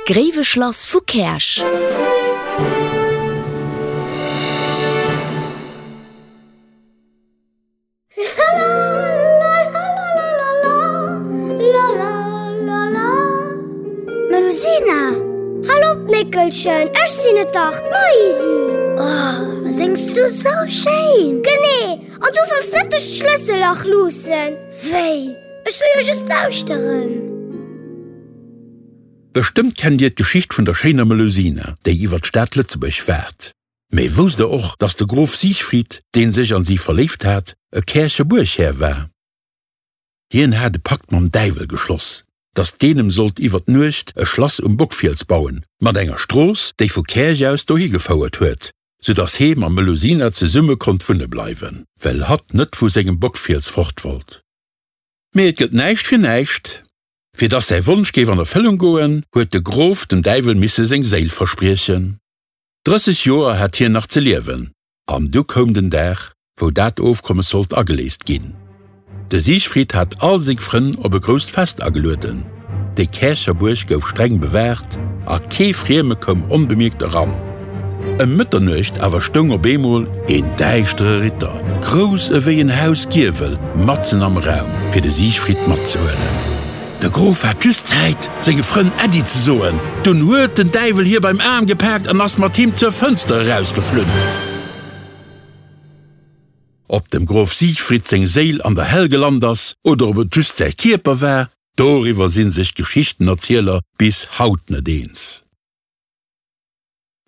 D'Gréiweschlass vu Käerch. Melusina, Hal op, Néckelchen, ech sinn et dach, d'Maisi! Oh, séngs du sou schéin! Genee! An du solls net duerch d'Schlëssellach luussen! Wéi? Ech wëll jo just lauschteren! Bestëmmt kennt dir d'Geschicht vun der schéiner Melusina, déi iwwer d'Stad Lëtzebuerg waart. Mee wousst der och, dass de Grof Siegfried, deen sech an si verléift hat, e Käercher Buerghär war? Hien hat e Pakt mam Däiwel geschloss, dass deen em sollt iwwer d'Nuecht e Schlass um Bockfiels bauen, mat enger Strooss, déi vu Käerch aus dohi gefouert huet, sou dass hee mam Melusina zesumme konnt wunne bleiwen, well hatt net vu sengem Bockfiels fort wollt. Mee et gëtt näischt fir näischt. Fir dass säi Wonsch géif an Erfëllung goen, huet de Grof dem Däiwel misse seng Séil verspriechen. 30 Joer hat hien nach ze liewen, an du koum den Dag, wou dat Ofkommes sollt ageléist ginn. De Siegfried hat all seng Frënn op e grousst Fest agelueden. Déi Käercher Buerg gouf streng bewaacht a kee Frieme koum onbemierkt eran. Ëm Mëtternuecht awer stoung op eemol een däischtere Ritter, grouss ewéi en Hausgiewel, matzen am Raum, fir de Siegfried matzehuelen. De Grof hat just Zäit, senge Frënn Äddi ze soen, dunn huet den Däiwel hie beim Aarm gepaakt an ass mat him zur Fënster erausgeflunn. Ob dem Grof Siegfried seng Séil an der Hell gelant ass oder ob et just säi Kierper war, doriwwer si sech d'Geschichtenerzieler bis haut net eens.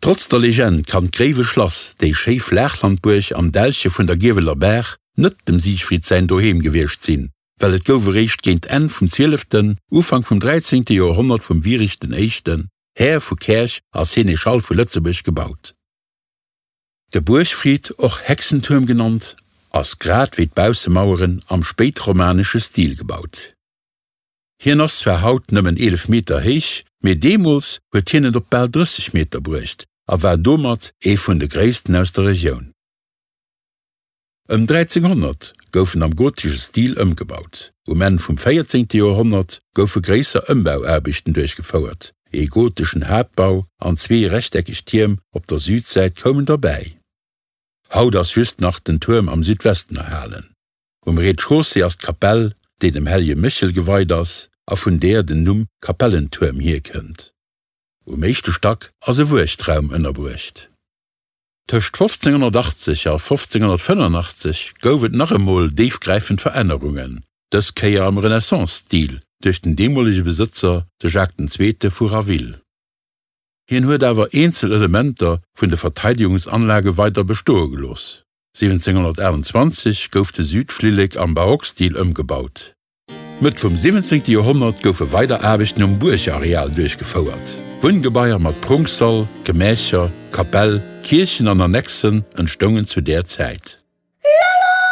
Trotz der Legend kann d'Gréiwe Schlass, déi schéi Flaachlandbuerg am Dällche vun der Gieweler Baach, net dem Siegfried säin Doheem gewiescht sinn, well et gouf eréischt géint Enn vum zwieleften, Ufank vum dräizéngte Joerhonnert vum Wierich den Éischten, Här vu Käerch a Seneschall vu Lëtzebuerg gebaut. De Buergfried, och Hexentuerm genannt, ass grad wéi d'Baussemaueren am spéitromanesche Stil gebaut. Hien ass zwar haut nëmmen 11 Meter héich, mee deemools huet hien et op bal 30 Meter bruecht a war domat ee vun de gréissten aus der Regioun. Ëm 1300 gouf en am gotesche Stil ëmgebaut. Um Enn vum 14. Joerhonnert goufe gréisser Ëmbauaarbechten duerchgefouert, ee goteschen Haaptbau an zwee rechteckeg Tierm op der Südsäit koumen derbäi. Haut ass just nach den Tuerm am Südwesten erhalen. Um Rez-de-chaussée ass d'Kapell, déi dem Hellege Méchel geweit ass a vun deer den Numm Kapellentuerm hierkënnt. Um éischte Stack ass e Wuechtraum ënnerbruecht. Tëscht 1580 a 1585 gouf et nach emol déifgräifend Verännerungen, dës Kéier am Renaissance-Stil duerch den deemolege Besëtzer, de Jacques den Zweete vu Raville. Hien huet awer eenzel Elementer vun de Verteidegungsanlage weider bestoe gelooss. 1728 gouf de Südflillek am Barockstil ëmgebaut. Mëtt vum 17. Joerhonnert goufe weider Aarbechten um Buergareal duerchgefouert. Wunngebaier mat Prunksall, Gemächer, Kapell, Kierchen an Annexen entstoungen zu där Zäit. Lalalala.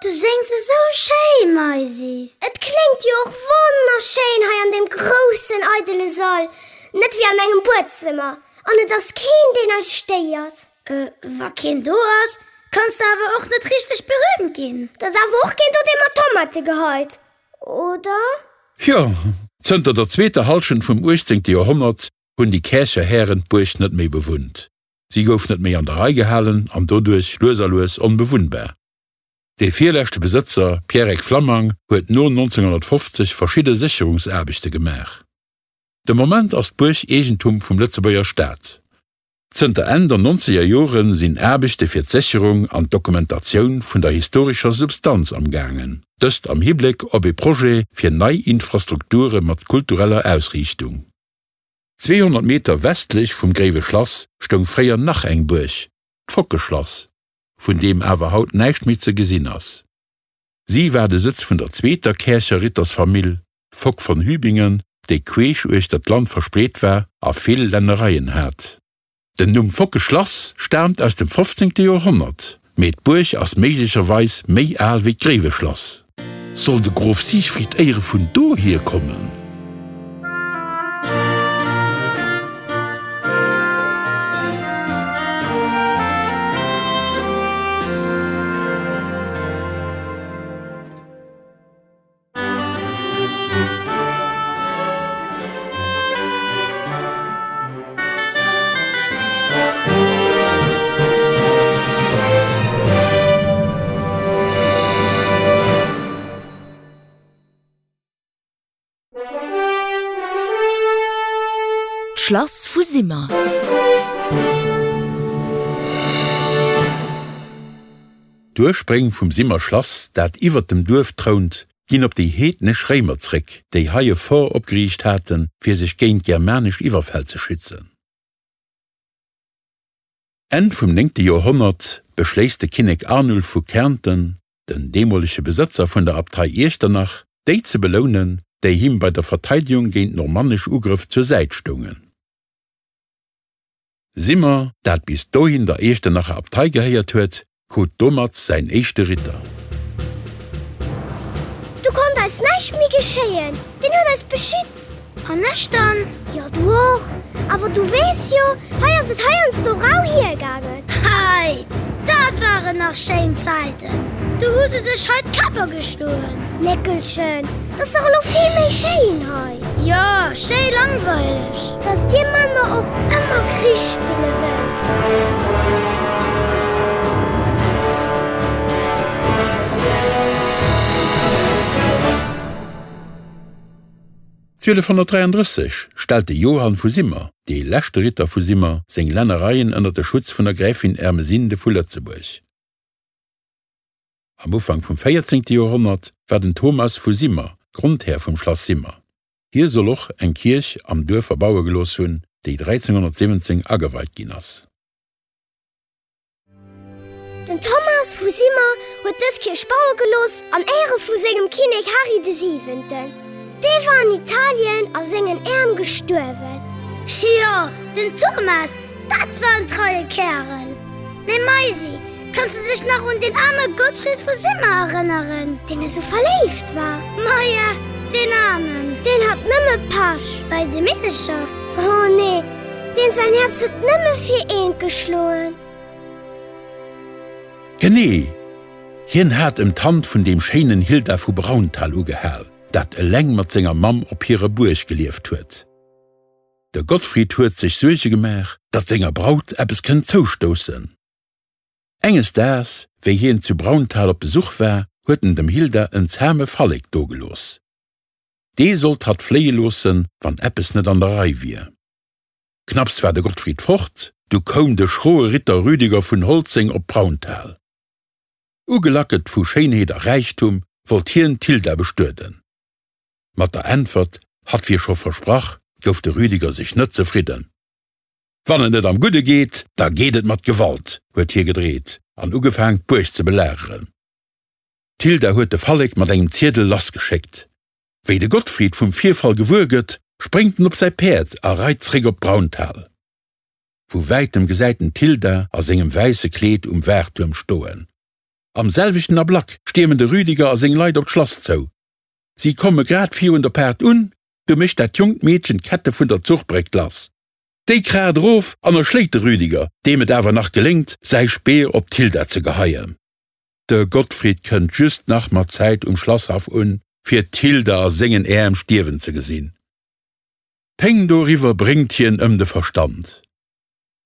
Du séngs esou schéi, Maisi! Et kléngt jo och wonnerschéin hei an deem groussen, eidele Sall, net wéi an engem Buedzëmmer, an et ass keen, deen eis stéiert. Wa keen do ass, kanns de awer och net richteg berühmt ginn. Et ass awer och keen do, dee mat Tomate geheit, oder? Jo, zënter der zweeter Hallschent vum uechtzéngte Joerhonnert hunn déi Käercher Hären d'Buerg net méi bewunnt. Si gouf net méi an der Rei gehalen an doduerch lues a lues onbewunnbar. Dee virleschte Besëtzer, Pierrec Flammang, huet no 1950 verschidde Sécherungsaarbechte gemaach. De Moment ass d'Buerg Eegentum vum Lëtzebuerger Staat. Zënter Enn der nonzeger Jore sinn Aarbechte fir d'Sécherung an d'Dokumentatioun vun der historescher Substanz am gaangen, dëst am Hibléck op ee Projet fir nei Infrastrukture mat kultureller Ausriichtung. 200 Meter westlech vum Gréiwe Schlass stoung fréier nach eng Buerg, d'Fockeschlass, vun deem awer haut näischt méi ze gesinn ass. Si war de Sëtz vun der zweeter Käercher Rittersfamill Fock von Hübingen, déi queesch uechter d'Land verspreet war a vill Lännereien hat. Den Numm Fockeschlass staamt aus dem 15. Joerhonnert, mee d'Buerg ass méiglecherweis méi al wéi d'Gréiweschlass. Soll de Grof Siegfried éiere vun dohier kommen? D'Schlass vu Simmer. D'Urspréng vum Simmer Schlass, dat iwwert dem Duerf trount, ginn op déi heednesch Réimer zréck, déi hei e Fort opgeriicht haten, fir sech géint germanesch Iwwerfäll ze schützen. Enn vum néngte Joerhonnert beschléisst de Kinnek Arnulf vu Kärnten, den deemolege Besëtzer vun der Abtei Iechternach, déi ze belounen, déi him bei der Verteidegung géint normannesch Ugrëff zur Säit stoungen. Simmer, dat bis dohin der Iechternacher Abtei gehéiert huet, krut domat säin éischte Ritter. Do konnt eis näischt méi geschéien, deen huet eis beschützt. An ech dann? Jo, du och. Awer du weess jo, hei ass et heiansdo rau hiergaangen. Hei, dat waren nach schéin Zäiten, du hu se sech hei d'Käpp ageschloen. Néckelchen, 't ass dach elo vill méi schéin hei. Jo, schéi langweileg. Dass dir Männer och ëmmer Krich spille wëllt. D'Zwielefhonnertdräiandrësseg stellt de Johann vu Simmer, dee leschte Ritter vu Simmer, seng Lännereien ënner de Schutz vun der Gräfin Ermesinde vu Lëtzebuerg. Am Ufank vum véierzéngte Joerhonnert war den Thomas vu Simmer Grondhär vum Schlass Simmer. Hie soll och eng Kierch am Duerf erbaue gelooss hunn, déi 1317 ageweit ginn ass. Den Thomas vu Simmer huet dës Kierch baue gelooss an Éiere vu sengem Kinnek Hary de Siwenten. Dee war an Italien a sengen Äerm gestuerwen. Jo, den Thomas, dat war en treie Kärel! Mee Maisi, kanns de dech nach un deen aarme Gottfried vu Simmer erënneren, deen esou verléift war? Maja, deen Aarmen! Deen hat nëmme Pech bei de Meedecher. Oh nee, deem säin Häerz huet nëmme fir eent geschloen. Genee! Hien hat ëm d'Hand vun deem schéinen Hilda vu Brauntal ugehal, dat eleng mat senger Mamm op hirer Buerg gelieft huet. De Gottfried huet sech Suerge gemaach, datt senger Braut eppes kënnt zoustoussen. Enges Daags, wéi hien zu Brauntal op Besuch war, huet en dem Hilda en zahme Fallek dogelooss. Dee sollt hatt fléie loossen, wann eppes net an der Rei wier. Knapps war de Gottfried fort, du koum de schroe Ritter Rüdiger vun Holzeng op Brauntal. Ugelackelt vu Schéinheet a Räichtum wollt hien d'Hilda bestueden. Mat der Äntwert, hatt wier scho versprach, gouf de Rüdiger sech net zefridden. Wann et net am Gudde geet, da geet et mat Gewalt, huet hie gedreet an ugefaang d'Buerg ze belageren. D'Hilda huet de Fallek mat engem Ziedel lassgeschéckt. Wéi de Gottfried vum Virfall gewuer gëtt, spréngt en op säi Päerd a reit zréck op Brauntal. Vu wäitem gesäit en d'Hilda a sengem wäisse Kleed um Waachtuerm stoen. Am selwechten Ablack stiermen de Rüdiger a seng Leit op d'Schlass zou. Si komme grad virun der Paart un, du mécht dat jonkt Meedchen d'Kette vun der Zuchbréck lass. Déi kraacht erof an erschléit de Rüdiger, deem et awer nach geléngt, säi Speer op d'Hilda ze geheien. De Gottfried kënnt just nach mat Zäit um Schlasshaff un, fir d'Hilda a sengen Äerm stierwen ze gesinn. D'Péng doriwwer bréngt hien ëm de Verstand.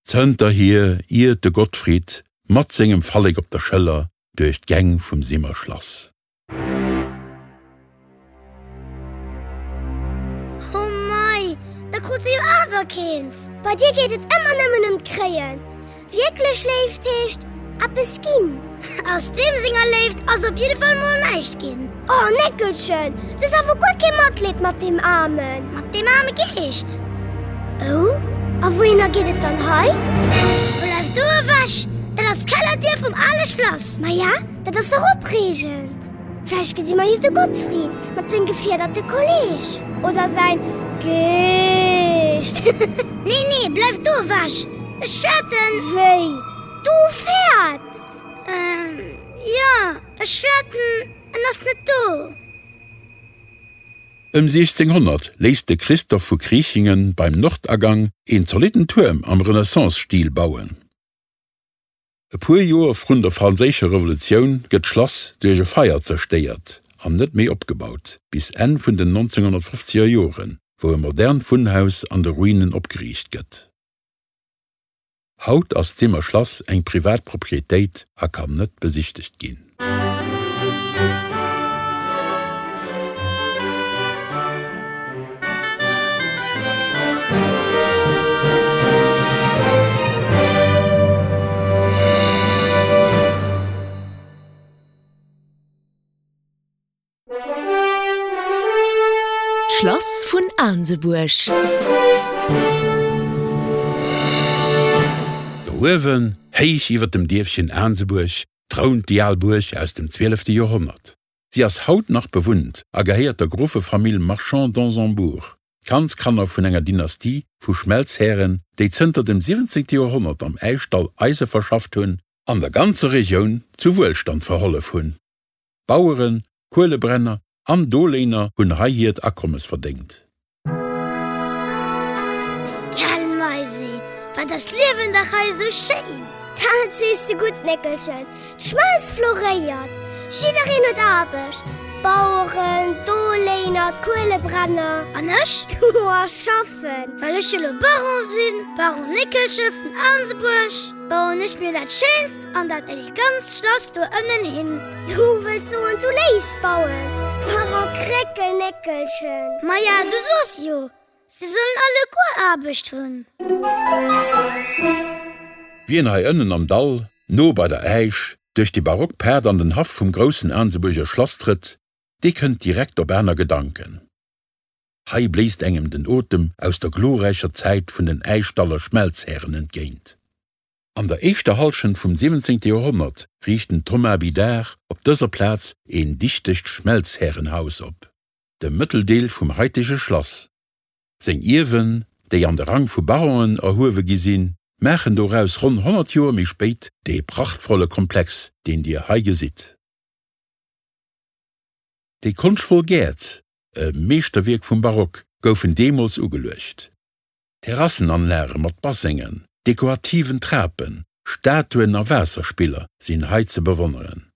Zënterhier iert de Gottfried mat sengem Fallek op der Schëller duerch d'Gäng vum Simmer Schlass. Oh mei, da krut se jo awer keent! Bei dir geet et ëmmer nëmmen ëm d'Kréien. Wierklech Léift heescht eppes ginn. Aus deem senger Léift ass op jidde Fall mol näischt ginn. Oh Néckelchen, du hues awer guer kee Matleed mat deem Aarmen. Mat deem aarme Geescht. Oh, a wouhinner geet et dann hei? Bleiw do ewech, dat ass d'Kellerdier vum ale Schlass. Maja, dat ass dach opreegend. Vläicht gesi mer jo de Gottfried mat sengem gefiederte Kolleeg. Oder säin Geescht. Nee, nee, bleiw do ewech, ech fäerten. Wéi, du fäerts? Ähm, jo, ech fäerten, en ass net do. Ëm 1600 léisst de Christoph vu Kriechingen beim Nordagang een zolitten Tuerm am Renaissance-Stil bauen. E puer Joer vrun der Franséischer Revolutioun gëtt d'Schlass duerch e Feier zerstéiert an net méi opgebaut, bis Enn vun den 1950er Joren, wou e modernt Wunnhaus an de Ruinen opgeriicht gëtt. Haut ass d'Simmer Schlass eng privat Proprietéit a kann net besichtegt ginn. D'Schlass vun Aansebuerg. Do uewen, héich iwwer dem Dierfchen Aansebuerg, trount déi al Buerg aus dem zwielefte Joerhonnert. Si ass haut nach bewunnt a gehéiert der Grofefamill Marchand d'Ansembourg, Kandskanner vun enger Dynastie vu Schmelzhären, déi zënter dem 17. Joerhonnert am Äischdall Eise verschafft hunn an der ganzer Regioun zu Wuelstand verhollef hunn. Baueren, Kuelebrenner an Doléiner hunn hei hiert Akommes verdéngt. Gell Maisi, wat ass d'Liewen dach hei esou schéin! Dat sees de gutt, Néckelchen, d'Schmelz floréiert, jiddereen huet Aarbecht, d'Baueren, d'Doléiner, d'Kuelebrenner. An ech? Du a schaffen! Well ech jo lo Baron sinn, Baron Néckelche vun Aansebuerg, bauen ech mir dat schéinst an dat elegantst Schlass do ënnen hin. Du wëlls soen, du léiss bauen, Baron Kréckelnéckelchen? Maja, du soos jo, se sollen alleguer Aarbecht hunn. Wien hei ënnen am Dall, no bei der Äisch, duerch déi barock Paart an den Haff vum groussen Aansebuerger Schlass trëtt, dee kënnt direkt op aner Gedanken. Hei bléist engem den Otem aus der glorräicher Zäit vun den Äischdaller Schmelzhären entgéint. An der éischter Hallschent vum 17. Joerhonnert riicht den Thomas Bidard op dëser Plaz een dichtegt Schmelzhärenhaus op, de Mëtteldeel vum haitege Schlass. Seng Ierwen, déi an de Rang vu Baronen erhuewe gi sinn, maachen doraus ronn 100 Joer méi spéit dee prachtvolle Komplex, deen Dir hei gesitt. Déi konschtvoll Gäert, e Meeschterwierk vum Barock, goufen deemools ugeluecht. Terrassenanlage mat Bassengen, dekorativen Trapen, Statuen a Waasserspiller sinn hei ze bewonneren.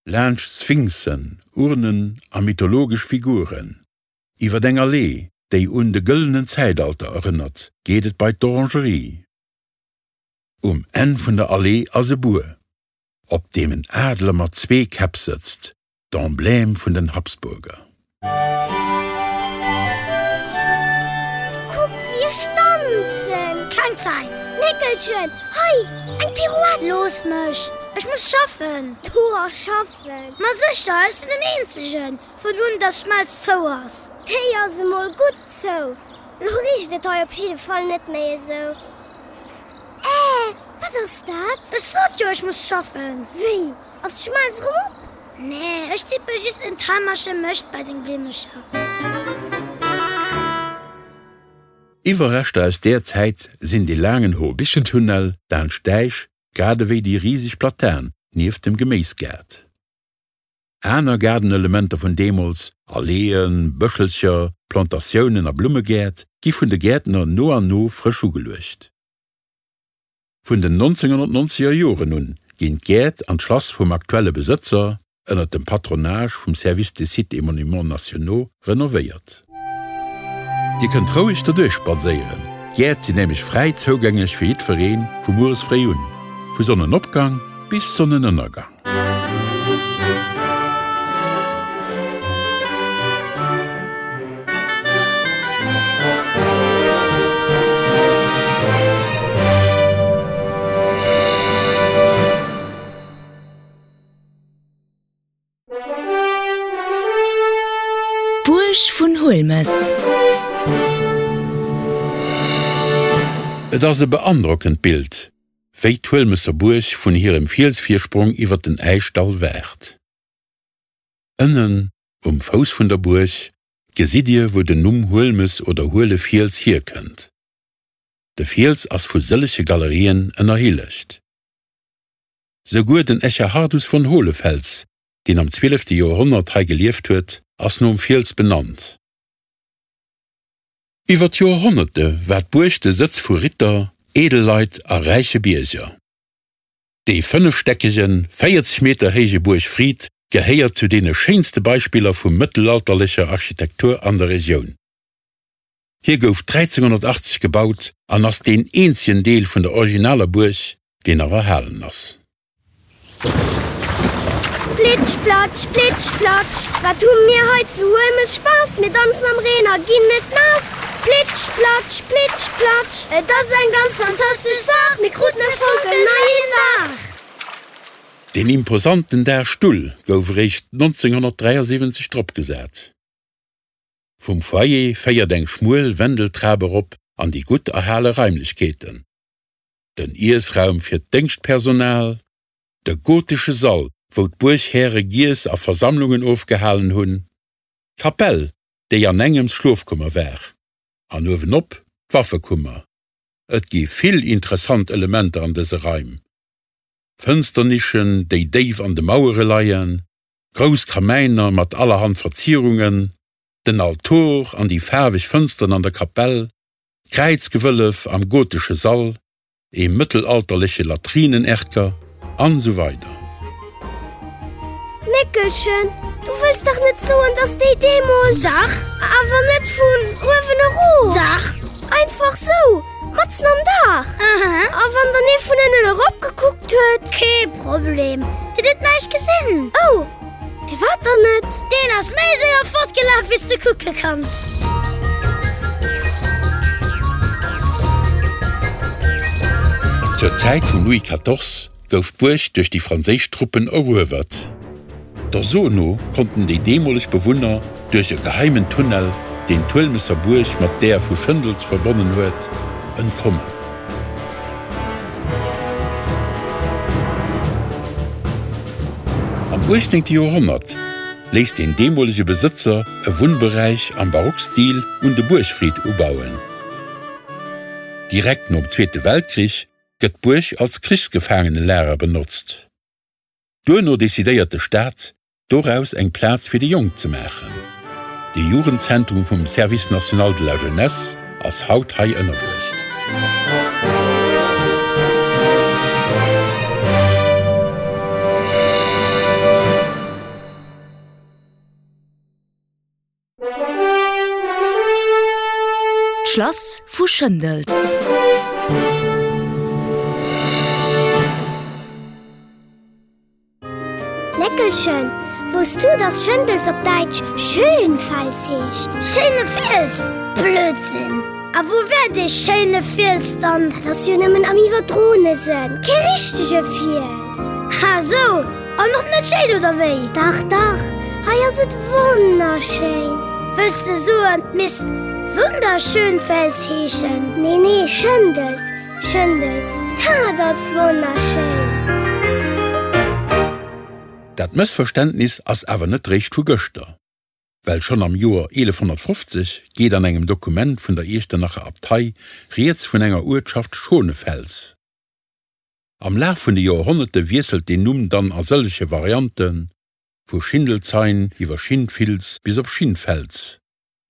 Laanscht Sphinxen, Urnen a mythologesch Figuren, iwwer eng Allee, déi un de gëllenen Zäitalter erënnert, geet et bei d'Orangerie. Um Enn vun der Allee ass e Buer, op deem en Adler mat zwee Käpp sëtzt, D'Emblème vun den Habsburger. Kuck wéi ech danzen! Keng Zäit! Néckelchen, hei, eng Pirouette! Looss mech, ech muss schaffen! Du a schaffen? Ma sécher, ech sinn den Eenzegen, vun un dass d'Schmelz zou ass. Déi ass emol gutt zou. Lo richt et hei op jidde Fall net méi esou. Äh, wat ass dat? Ech sot jo, ech muss schaffen! Wéi, ass d'Schmelz erëm op? Nee, ech tippe just en Taimerche Mëscht bei deng Blimmecher. Iwwerreschter aus där Zäit sinn dee laangen Horbichentunnel laanscht d'Äisch, grad ewéi déi riseg Platan nieft dem Geméisgaart. Aner Gaardenelementer vun deemools, Alleeën, Bëschelcher, Plantatiounen a Blummegäert, gi vun de Gäertner no an no frësch ugeluecht. Vun den 1990er Joren un ginn d'Gäert an d'Schlass vum aktuelle Besëtzer, ënner dem Patronage vum Service des Sites et Monuments Nationaux, renovéiert. Dir kënnt roueg derduerch spadséieren, d'Gäert sinn nämlech fräi zougänglech fir jiddweree vu mueres fréi un, vu Sonnenopgang bis Sonnenënnergang. D'Buerg vun Huelmes. Et ass e beandrockend Bild, wéi d'Huelmesser Buerg vun hirem Fielsvirsprong iwwer den Äischdall waart. Ënnen, um Fouss vun der Buerg, gesitt Dir wou den Numm Huelmes oder Huele Fiels hierkënnt. De Fiels ass vu sëllege Galerien ënnerhillegt. Souguer den Echerhardus von Hohlefels, deen am zwielefte Joerhonnert hei gelieft huet, ass nom Fiels benannt. Iwwer d'Joerhonnerte war d'Buerg de Sëtz vu Ritter, Edelleit a räiche Bierger. Dee fënnefstäckegen, 40 Meter héije Buergfrid gehéiert zu deene schéinste Beispiller vu mëttelalterlecher Architektur an der Regioun. Hie gouf 1380 gebaut an ass deen eenzegen Deel vun der originaler Buerg, deen nach erhalen ass. Plitsch platsch, plitsch platsch, wat hu mir hei zu Huelmes Spaass, mir danzen am Reen a ginn net naass. Plitsch platsch, plitsch platsch, et ass eng ganz fantastesch Saach, mir kruten e fonkelneien Daach. Deen imposanten Daachstull gouf eréischt 1973 dropgesat. Vum Foyer féiert eng schmuel Wendeltrap erop an déi gutt erhale Raimlechkeeten, den Iessraum fir d'Déngschtpersonal, de gotesche Sall, wou d'Buerghäre giess a Versammlungen ofgehalen hunn, d'Kapell, déi an engems Schlofkummer war, an uewenop d'Waffekummer. Et gi vill interessant Elementer an dëse Raim, Fënsternischen, déi déif an de Mauere leien, grouss Kamäiner mat allerhand Verzierungen, den Altor an déi faarweg Fënsteren an der Kapell, d'Kräizgewëllef am gotesche Sall, ee mëttelalterleche Latrinenerker an esou weider. Néckelchen, du wëlls dach net soen, dass déi deemools. Dach! Awer net vun uewen erof! Dach! Einfach sou, matzen am Daach! Aha! A wann dann ee vun ënnen erop gekuckt huet? Kee Problem, deen huet näischt gesinn! Oh! Firwat dann net? Deen ass méi séier fortgelaf wéi s de kucke kanns. Zur Zäit vum Louis quatorze gouf d'Buerg duerch déi franséisch Truppen eruewert. Der So no konnten déi deemoleg Bewunner duerch e geheimen Tunnel, deen d'Huelmesser Buerg mat där vu Schëndels verbonnen huet, entkommen. Am 18. Joerhonnert léisst den deemolege Besëtzer e Wunnberäich am Barockstil un de Buergfrid ubauen. Direkt nom Zweete Weltkrich gëtt d'Buerg als Krichsgefaangenelager benotzt. Duerno decidéiert de Staat, doraus eng Plaz fir déi Jonk ze maachen. De Jugendzentrum vum Service national de la jeunesse ass haut hei ënnerbruecht. D'Schlass vu Schëndels. Néckelchen, wousst du, dass Schëndels op Däitsch Schönfels heescht? Schéine Fiels? Blödsinn! A wou wär dee schéine Fiels dann? Dat ass jo nëmmen am iwwerdroene Sënn, kee richtege Fiels. Ha sou! An och net schéin, oder wéi? Dach, dach, hei ass et wonnerschéin! Wëlls de soen, 't misst Wunderschönfels heeschen? Nee, nee, Schëndels, Schëndels, dat ass wonnerschéin! Dat Mëssverständnis ass awer net réischt vu gëschter, well schonn am Joer 1150 geet an engem Dokument vun der Iechternacher Abtei rieds vun enger Uertschaft Schonefels. Am Laf vun de Joerhonnerte wiesselt deen Numm dann a sëllege Varianten, vu Schindelzein iwwer Schindfils bis op Schinfels,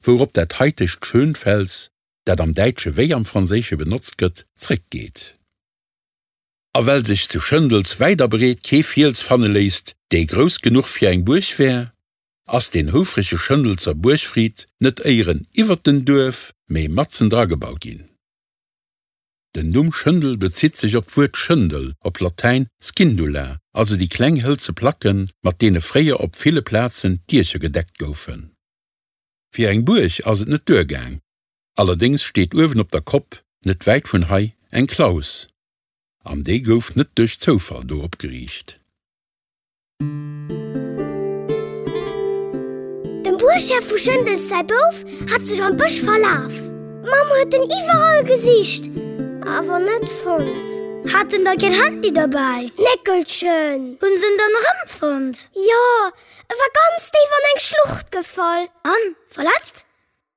wourop dat haitegt Schönfels, dat am Däitsche wéi am Franséische benotzt gëtt, zréckgeet. A well sech zu Schëndels wäit a breet kee Fiels fanne léisst, dee grouss genuch fir eng Buerg wär, ass deen houfrege Schëndelser Buergfrid net éieren iwwert den Duerf, mee matzen dra gebaut ginn. Den Numm Schëndel bezitt sech op d'Wuert Schëndel, op Latäin scindula, also déi kleng hëlze Placken, mat deene fréier op ville Plazen d'Diecher gedeckt goufen. Fir eng Buerg ass et net duergaang, allerdéngs steet uewen op der Kopp, net wäit vun hei, eng Klaus. An déi gouf net duerch Zoufall do opgeriicht. Dem Buerghär vu Schëndels säi Bouf hat sech am Bësch verlaf. D'Mamm huet en iwwerall gesicht, awer net fonnt. Hat en da keen Handy derbäi? Néckelchen! Hunn se en dann erëmfonnt? Jo, e war ganz déif an eng Schlucht gefall. An, verletzt?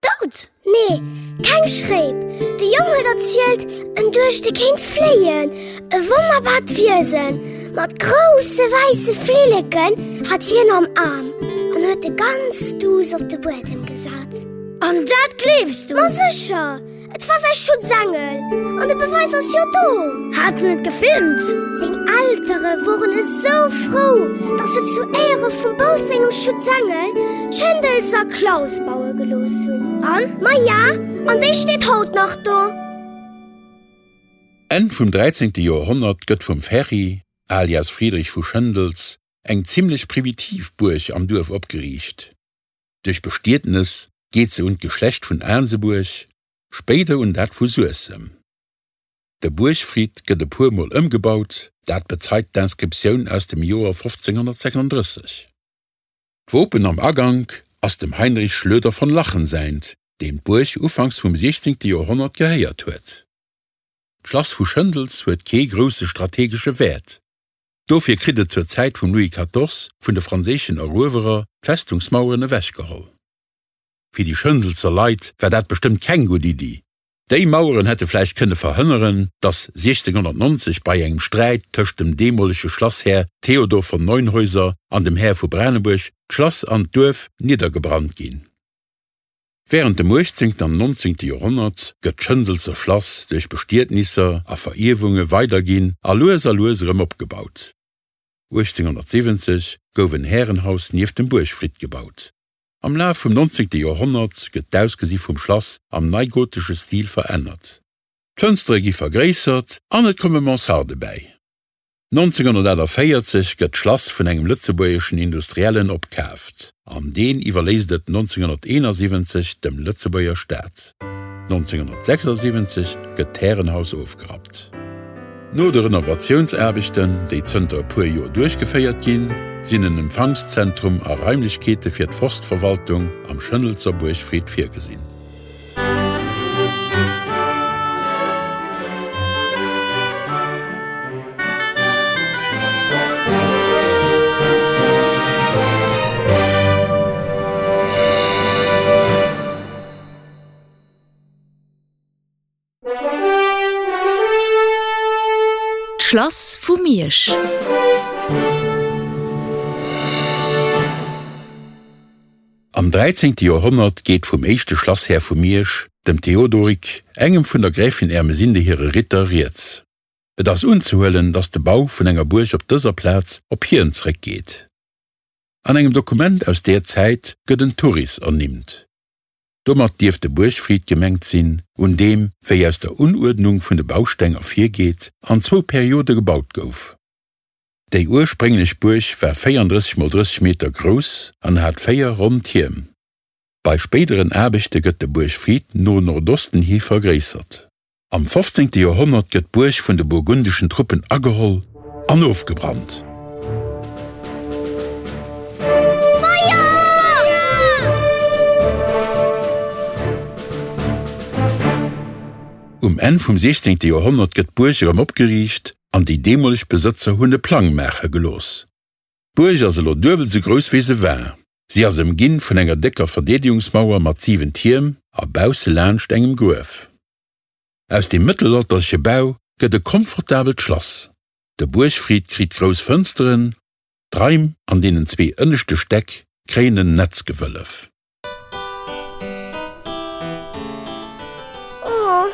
Dout? Nee, keng Schréip. De Jong huet erzielt, en duecht, e kéint fléien. E wonnerbart Wiesen mat grousse wäisse Flilleken hat hien am Aarm an huet e ganz duuss op de Buedem gesat. An dat gleefs du? Ma sécher! Et war säi Schutzengel an de Beweis ass jo do! Hat en et gefilmt? Seng Eltere woren esou frou, datt se zu Éiere vum Bouf sengem Schutzengel d'Schëndelser Klaus baue gelooss hunn. An? Maja, an déi steet haut nach do! Enn vum 13. Joerhonnert gëtt vum Ferry, alias Friedrich vu Schëndels, eng zimmlech primitiv Buerg am Duerf opgeriicht. Duerch Bestietnes geet se un d'Geschlecht vun Aansebuerg, spéider un dat vu Suessem. De Buergfrid gëtt e puer Mol ëmgebaut, dat bezeit d'Inscriptioun aus dem Joer 1536. D'Wopen am Agank ass dem Heinrich Schlöder von Lachen säint, deem d'Buerg ufanks vum 16. Joerhonnert gehéiert huet. D'Schlass vu Schëndels huet kee grousse strategesche Wäert. Dofir kritt et zur Zäit vum Louis Quatorze vun de franséischen Eruewerer d'Festungsmaueren ewechgeholl. Fir déi Schëndelser Leit war dat bestëmmt keng gutt Iddi. Déi Maueren hätte vläicht kënne verhënneren, datt 1690 bei engem Sträit tëscht dem deemolege Schlasshär Theodor von Neunhäuser an dem Här vu Branebuerg d'Schlass an d'Duerf niddergebrannt ginn. Wärend dem 18. an 19. Joerhonnert gëtt d'Schënselzer Schlass duerch Bestietnisser a Verierwunge weiderginn a lues a lues erëm opgebaut. 1870 gouf en Härenhaus nieft dem Buergfridd gebaut. Am Laf vum 19. Joerhonnert gëtt d'Ausgesi vum Schlass am neigotesche Stil verännert. D'Fënstere gi vergréissert an et komme Mansarde bäi. 1948 gëtt d'Schlass vun engem lëtzebuergeschen Industriellen opkaaft an deen iwwerléisst et 1971 dem Lëtzebuerger Staat. 1976 gëtt d'Härenhaus ofgerappt. No de Renovatiounsaarbechten, déi zënter e puer Joer duerchgeféiert ginn, sinn en Empfangszentrum a Raimlechkeete fir d'Forstverwaltung am Schëndelzer Buergfried virgesinn. D'Schlass vu Miersch. Am 13. Joerhonnert geet vum éischte Schlasshär vu Miersch, dem Theodorik, engem vun der Gräfin Ermesinde hire Ritter, rieds. Et ass unzehuelen, datt de Bau vun enger Buerg op dëser Plaz op hien zeréckgeet. An engem Dokument aus där Zäit gëtt en Turris ernimmt. Domat dierft de Buergfrid gemengt sinn, un deem, wéi aus der Unuerdnung vun de Bausteng ervirgeet, an zwou Periode gebaut gouf. Déi ursprénglech Buerg war 34 mol 30 Meter grouss an hat 4 ronn Tierm. Bei spéideren Aarbechte gëtt de Buergfrid no Nordosten hi vergréissert. Am 15. Joerhonnert gëtt d'Buerg vun de burgundeschen Truppen ageholl an ofgebrannt. Um Enn vum 16. Joerhonnert gëtt d'Buerg erëm opgeriicht an déi deemoleg Besëtzer hunn e Plang maache gelooss. D'Buerg ass elo duebel sou grouss wéi se war. Si ass ëmginn vun enger décker Verdeedegungsmauer mat 7 Tierm a bausse laanscht engem Gruef. Aus deem mëttelalterleche Bau gëtt e komfortabelt Schlass. De Buergfrid kritt grouss Fënsteren, d'Raim an deenen zwee ënneschte Stäck kréien en Netzgewëllef. Oh,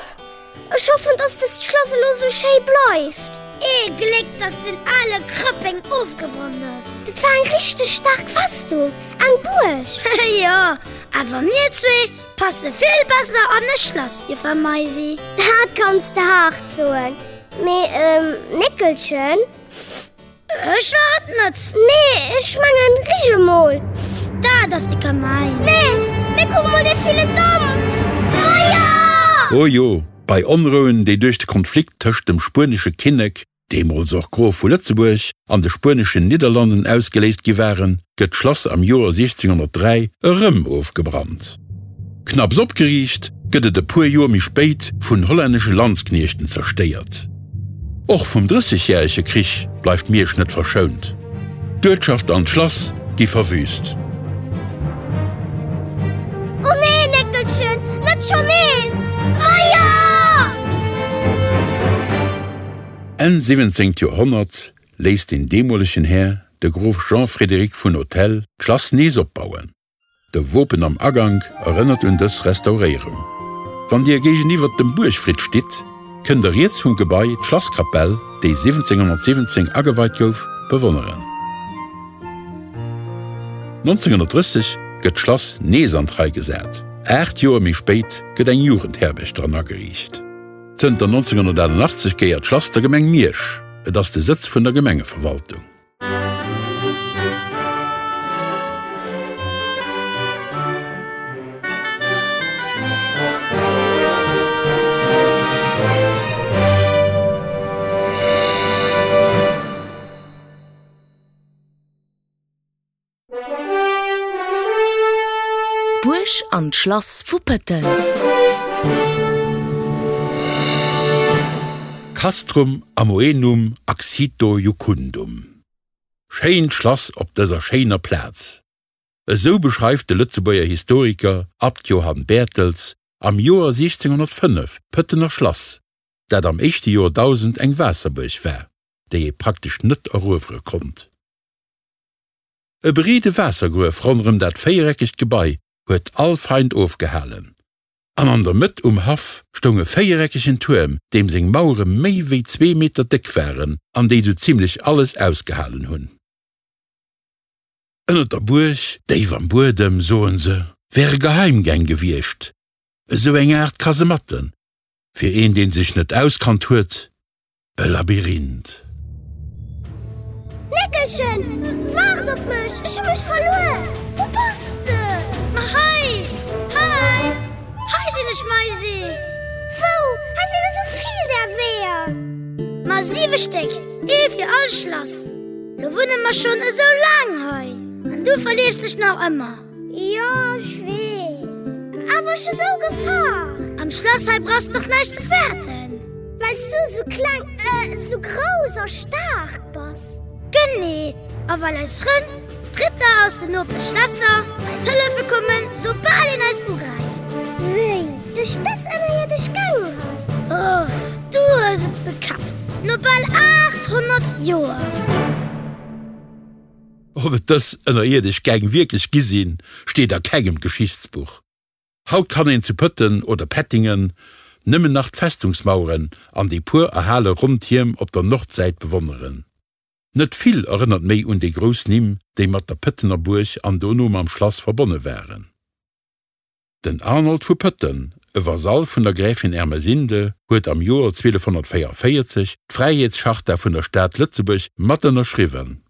ech hoffen, dass dëst Schlass elo sou schéi bleift. Ee Gléck, dass den ale Krëppeng ofgebrannt ass. Dat war eng richteg staark Festung, eng Buerg. Jo, awer mir zwee passe vill besser an e Schlass, Joffer Maisi. Dat kanns de haart soen. Mee, Néckelchen. Ech war et net. Nee, ech mengen, rich emol. Dat ass de Kamäin. Nee, mee kuck mol dee villen Damp! Feier! O jo, bei Onrouen, déi duerch de Konflikt tëscht dem spuenesche Kinnek, deemools och Grof vu Lëtzebuerg, an de spueneschen Nidderlanden ausgeléist gi waren, gëtt d'Schlass am Joer 1603 erëm ofgebrannt. Knapps opgeriicht, gëtt et e puer Joer méi spéit vun hollännesche Landskniechten zerstéiert. Och vum Drëssegjärege Krich bleift Miersch net verschount. D'Uertschaft an d'Schlass gi verwüüst. Oh nee, Néckelchen, net schonn nees! Feier! Enn 17. Joerhonnert léisst den deemolegen Här, de Grof Jean-Frédéric vun Autelle, d'Schlass nees opbauen. De Wopen am Agank erënnert un dës Restauréierung. Wann Dir géigeniwwer dem Buergfried stitt, kënnt Der riets vum Gebai d'Schlasskapell, déi 1717 ageweit gouf, bewonneren. 1930 gëtt d'Schlass nees an d'Rei gesat, 8 Joer méi spéit gëtt eng Jugendherberg dran ageriicht. Zënter 1988 gehéiert d'Schlass der Gemeng Miersch, et ass de Sëtz vun der Gemengeverwaltung. D'Buerg an d'Schlass vu Pëtten. Castrum amoenum axito jucundum. Schéint Schlass op dëser schéiner Plaz. Esou beschreift de Lëtzebuerger Historiker Abt Johann Bertels am Joer 1605 d'Pëttener Schlass, dat am éischte Joerdausend eng Waasserbuerg war, déi ee praktesch net eruewere konnt. E breede Waassergruef ronderëm dat véiereckegt Gebai huet all Feind ofgehalen. An an der Mëtt um Haff stoung e véiereckegen Tuerm, deem seng Mauere méi wéi zwee Meter déck waren an déi sou zimlech alles ausgehalen hunn. Ënnert der Buerg, déif am Buedem, soen se, wäre Geheimgäng gewiescht, esou eng Aart Kasematten, fir een, deen sech net auskannt huet, e Labyrinth. Néckelchen, waart op mech, ech hu mech verluer! Wou bass de? Ma hei, hei, hei sinn ech, Maisi! Wou? Hei sinn esou vill där Weeër! Ma siwe Stéck, ee fir all Schlass. Lo wunne mer schonn esou laang hei an du verleefs dech nach ëmmer. Jo, ech weess. Awer ech hu sou gefaart. Am Schlass hei brauchs de dach näischt ze fäerten. Well s du sou kleng, äh, sou grouss a staark bass. Genee. A well eis Frënn, d'Ritter aus den Nopeschschlässer, eis hëllefe kommen, soubal een eis ugräift. Wéi? Duerch dës ënnerierdesch Gäng hei? Oh, du hues et bekappt. No bal 800 Joer. Ob et dës ënnerierdesch Gäng wierklech gi sinn, steet a kengem Geschichtsbuch. Haut kann een zu Pëtten oder Pettingen nëmmen nach d'Festungsmaueren an déi puer erhale ronn Tierm op der Nordsäit bewonneren. Net vill erënnert méi un déi grouss Nimm, déi mat der Pëttener Buerg an dono mam Schlass verbonne waren. Den Arnold vu Pëtten, e Vasall vun der Gräfin Ermesinde, huet am Joer 1244 d'Fräiheetscharta vun der Stad Lëtzebuerg mat ënnerschriwwen.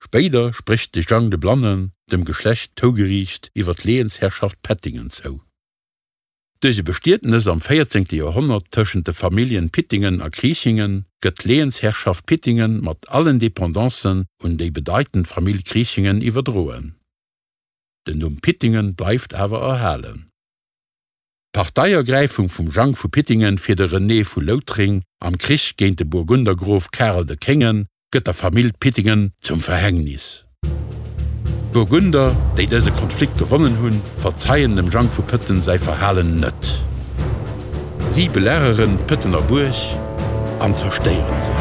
Spéider sprécht de Jang de Blannen dem Geschlecht d'Hougeriicht iwwer d'Lehensherrschaft Pettingen zou. Duerch e Bestietnes am 14. Joerhonnert tëschent de Familljen Pittingen a Kriechingen gëtt d'Lehensherrschaft Pittingen mat allen Dependancen un déi bedeitend Famill Kriechingen iwwerdroen. Den Numm Pittingen bleift awer erhalen. D'Parteiergräifung vum Jang vu Pittingen fir de René vu Loutréng am Krich géint de Burgundergrof Karel de Kéngen gëtt der Famill Pittingen zum Verhängnis. D'Burgunder, déi dëse Konflikt gewonnen hunn, verzeien dem Jang vu Pëtten säi Verhalen net. Si belageren d'Pëttener Buerg an zerstéieren se.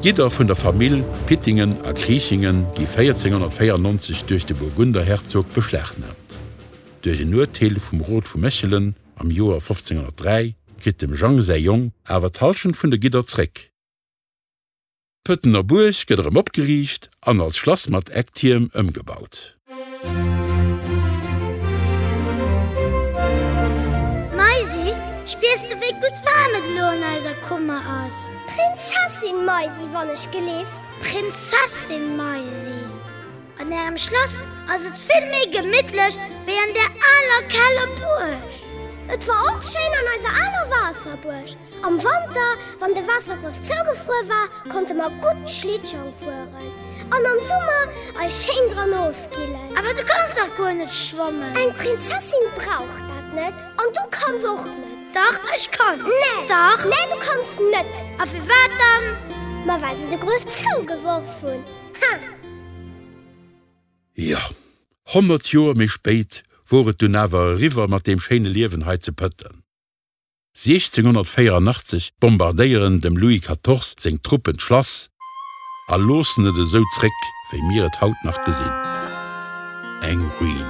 D'Gidder vun der Famill Pittingen a Kriechingen gi 1494 duerch de Burgunderherzog beschlagnaamt. Duerch en Urteel vum Rot vu Mechelen am Joer 1503 kritt dem Jang säi Jong awer d'Hallschent vun de Gidder zréck. D'Pëttener Buerg gëtt erëm opgeriicht an als Schlass mat Ecktierm ëmgebaut. Maisi, spiers de wéi gutt waarm et elo an eiser Kummer ass? Prinzessin Maisi, wann ech gelift. Prinzessin Maisi, an ärem Schlass ass et vill méi gemittlech wéi an där aler Keller Buerg. Et war och schéin an eiser aler Waasserbuerg. Am Wanter, wann de Waassergruef zougefruer war, konnte mer gutt Schlittschong fueren an am Summer eis schéin dran ofkillen. Awer du kanns dach guer net schwammen! Eng Prinzessin brauch dat net an du kanns och net! Dach, ech kann! Nee! Dach! Nee, du kanns net! A firwat dann? Ma well se de Gruef zougeworf hunn, ha! Jo, 100 Joer méi spéit wor et dunn awer eriwwer mat deem schéine Liewen hei zu Pëtten. 1684 bombardéieren dem Louis Quatorze seng Truppen d'Schlass a loossen et esou zréck, wéi mir et haut nach gesinn, eng Ruin.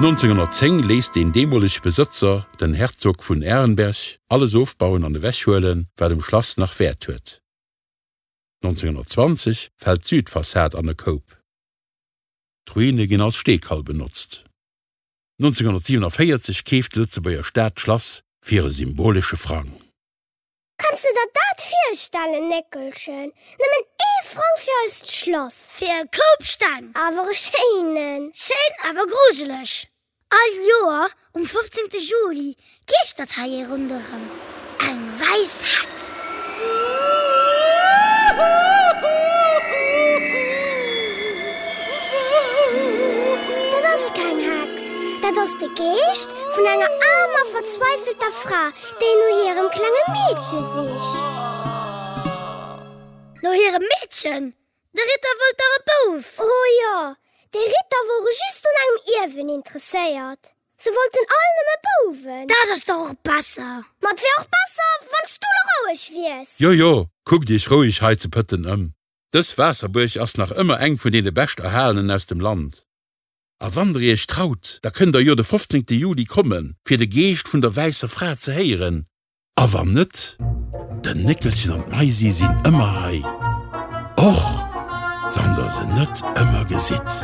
1910 léisst deen deemolege Besëtzer, den Herzog vun Arenberg, alles ofbauen an ewechhuelen, wat um Schlass nach Wäert huet. 1920 fält d'Südfassad an e Koup. D'Ruine ginn als Steekall benotzt. 1947 keeft de Lëtzebuerger Staat d'Schlass fir e symbolesche Frang. Kanns de der dat virstellen, Néckelchen? Nëmmen ee Frang fir eist Schlass. Fir e Koup Steng. Awer e schéinen. Schéin, awer grujeleg. All Joer um 15. Juli geeschtert hei ee ronderëm, eng wäiss Hex. Dat ass keng Hex, dat ass de Geescht vun enger aarmer, verzweifelter Fra, déi no hirem klenge Meedche sicht. No hirem Meedchen? De Ritter wollt dach e Bouf! Oh jo, déi Ritter wore just un engem Ierwen interesséiert. Se wollten all nëmme Bouwen. Dat ass dach och besser! Ma et wär och besser, wann s du lo roueg wiers! Jo, jo, kuckt iech roueg hei zu Pëtten ëm. Dës Waasserbuerg ass nach ëmmer eng vun deene bescht erhalenen aus dem Land. A wann der iech traut, da kënnt der jo de 15. Juli kommen, fir de Geescht vun der wäisser Fra ze héieren. A wann net, den Néckelchen an d'Maisi sinn ëmmer hei, och wann der se net ëmmer gesitt.